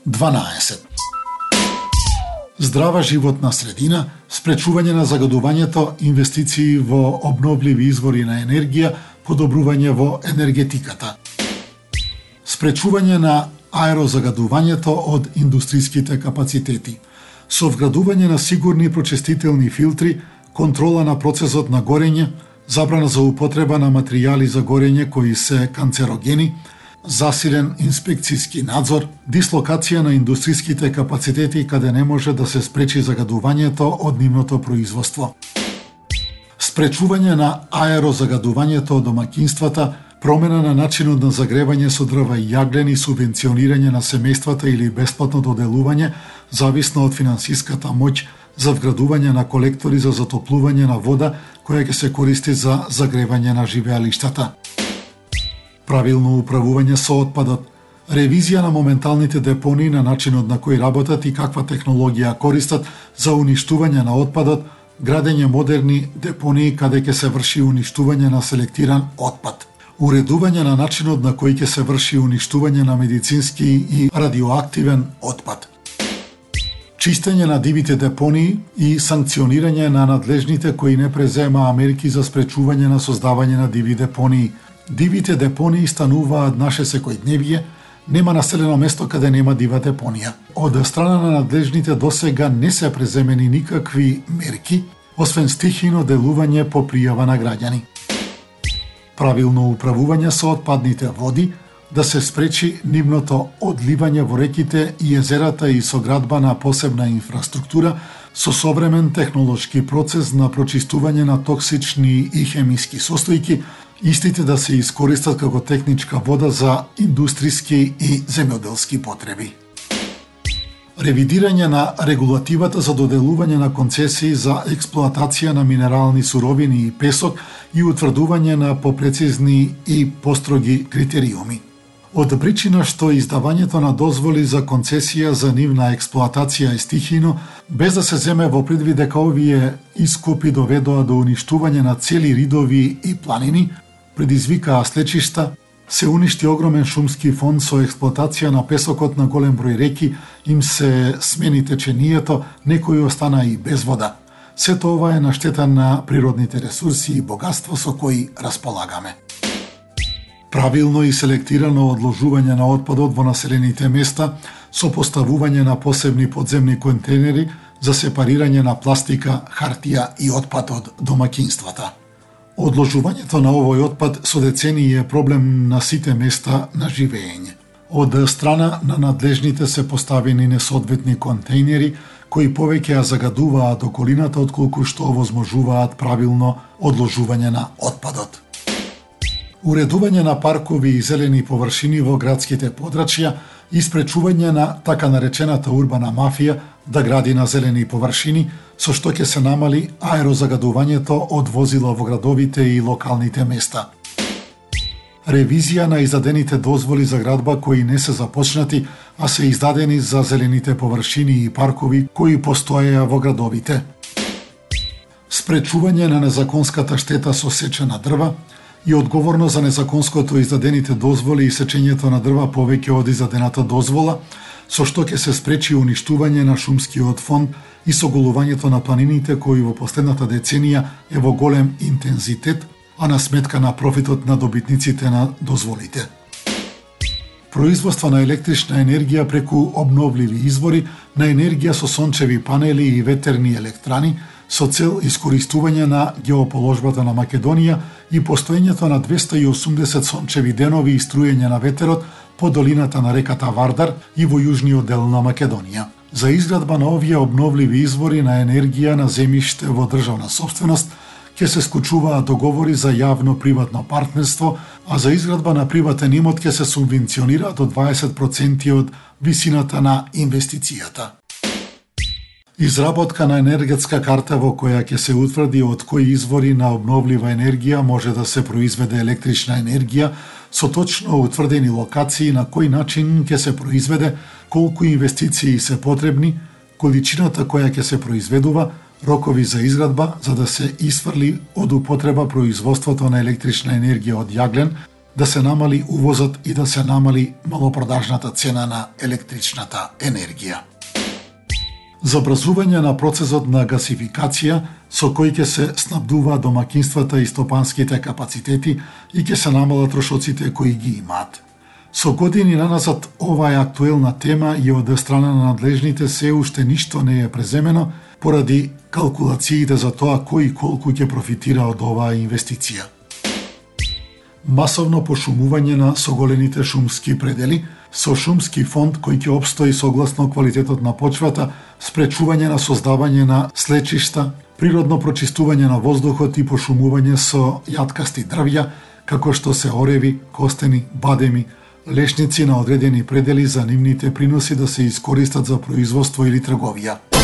12. Здрава животна средина, спречување на загадувањето, инвестиции во обновливи извори на енергија, подобрување во енергетиката. Спречување на аерозагадувањето од индустриските капацитети. Со вградување на сигурни прочистителни филтри, контрола на процесот на горење, забрана за употреба на материјали за горење кои се канцерогени, засилен инспекцијски надзор, дислокација на индустриските капацитети каде не може да се спречи загадувањето од нивното производство. Спречување на аерозагадувањето од домаќинствата, промена на начинот на загревање со дрва и јаглен и субвенционирање на семејствата или бесплатно доделување, зависно од финансиската моќ за вградување на колектори за затоплување на вода која ќе се користи за загревање на живеалиштата. Правилно управување со отпадот, ревизија на моменталните депонии на начинот на кој работат и каква технологија користат за уништување на отпадот, градење модерни депонии каде ќе се врши уништување на селектиран отпад, уредување на начинот на кој ќе се врши уништување на медицински и радиоактивен отпад, чистење на дивите депонии и санкционирање на надлежните кои не преземаа мерки за спречување на создавање на диви депонии. Дивите депонии стануваат наше секојдневие, нема населено место каде нема дива депонија. Од страна на надлежните досега не се преземени никакви мерки, освен стихино делување по пријава на граѓани. Правилно управување со отпадните води, да се спречи нивното одливање во реките и езерата и соградба на посебна инфраструктура со современ технолошки процес на прочистување на токсични и хемиски состојки, истите да се искористат како техничка вода за индустријски и земјоделски потреби. Ревидирање на регулативата за доделување на концесии за експлоатација на минерални суровини и песок и утврдување на попрецизни и построги критериуми. Од причина што издавањето на дозволи за концесија за нивна експлоатација е стихино, без да се земе во предвид дека овие искупи доведоа до уништување на цели ридови и планини, предизвикаа слечишта, се уништи огромен шумски фонд со експлоатација на песокот на голем број реки, им се смени течението, некои останаа и без вода. Сето ова е на штета на природните ресурси и богатство со кои располагаме. Правилно и селектирано одложување на отпадот во населените места со поставување на посебни подземни контейнери за сепарирање на пластика, хартија и отпад од домаќинствата. Одложувањето на овој отпад со децении е проблем на сите места на живење. Од страна на надлежните се поставени несоодветни контейнери кои повеќе ја загадуваат околината отколку што овозможуваат правилно одложување на отпадот. Уредување на паркови и зелени површини во градските подрачја и спречување на така наречената урбана мафија да гради на зелени површини, со што ќе се намали аерозагадувањето од возила во градовите и локалните места. Ревизија на издадените дозволи за градба кои не се започнати, а се издадени за зелените површини и паркови кои постоеа во градовите. Спречување на незаконската штета со сеча на дрва и одговорно за незаконското издадените дозволи и сечењето на дрва повеќе од издадената дозвола, со што ќе се спречи уништување на шумскиот фонд и соголувањето на планините кои во последната деценија е во голем интензитет, а на сметка на профитот на добитниците на дозволите. Производство на електрична енергија преку обновливи извори, на енергија со сончеви панели и ветерни електрани, со цел искористување на геоположбата на Македонија и постоењето на 280 сончеви денови и струјење на ветерот по долината на реката Вардар и во јужниот дел на Македонија. За изградба на овие обновливи извори на енергија на земјиште во државна собственост ќе се склучуваат договори за јавно-приватно партнерство, а за изградба на приватен имот ќе се субвенционира до 20% од висината на инвестицијата. Изработка на енергетска карта во која ќе се утврди од кои извори на обновлива енергија може да се произведе електрична енергија со точно утврдени локации на кој начин ќе се произведе, колку инвестиции се потребни, количината која ќе се произведува, рокови за изградба за да се исфрли од употреба производството на електрична енергија од јаглен, да се намали увозот и да се намали малопродажната цена на електричната енергија. Забрзување на процесот на гасификација со кој ќе се снабдуваат домакинствата и стопанските капацитети и ќе се намалат трошоците кои ги имаат. Со години наназад ова е актуелна тема и од страна на надлежните се уште ништо не е преземено поради калкулациите за тоа кој и колку ќе профитира од оваа инвестиција. Масовно пошумување на соголените шумски предели со шумски фонд кој ќе опстои согласно квалитетот на почвата, спречување на создавање на слечишта, природно прочистување на воздухот и пошумување со јаткасти дрвја, како што се ореви, костени, бадеми, лешници на одредени предели за нивните приноси да се искористат за производство или трговија.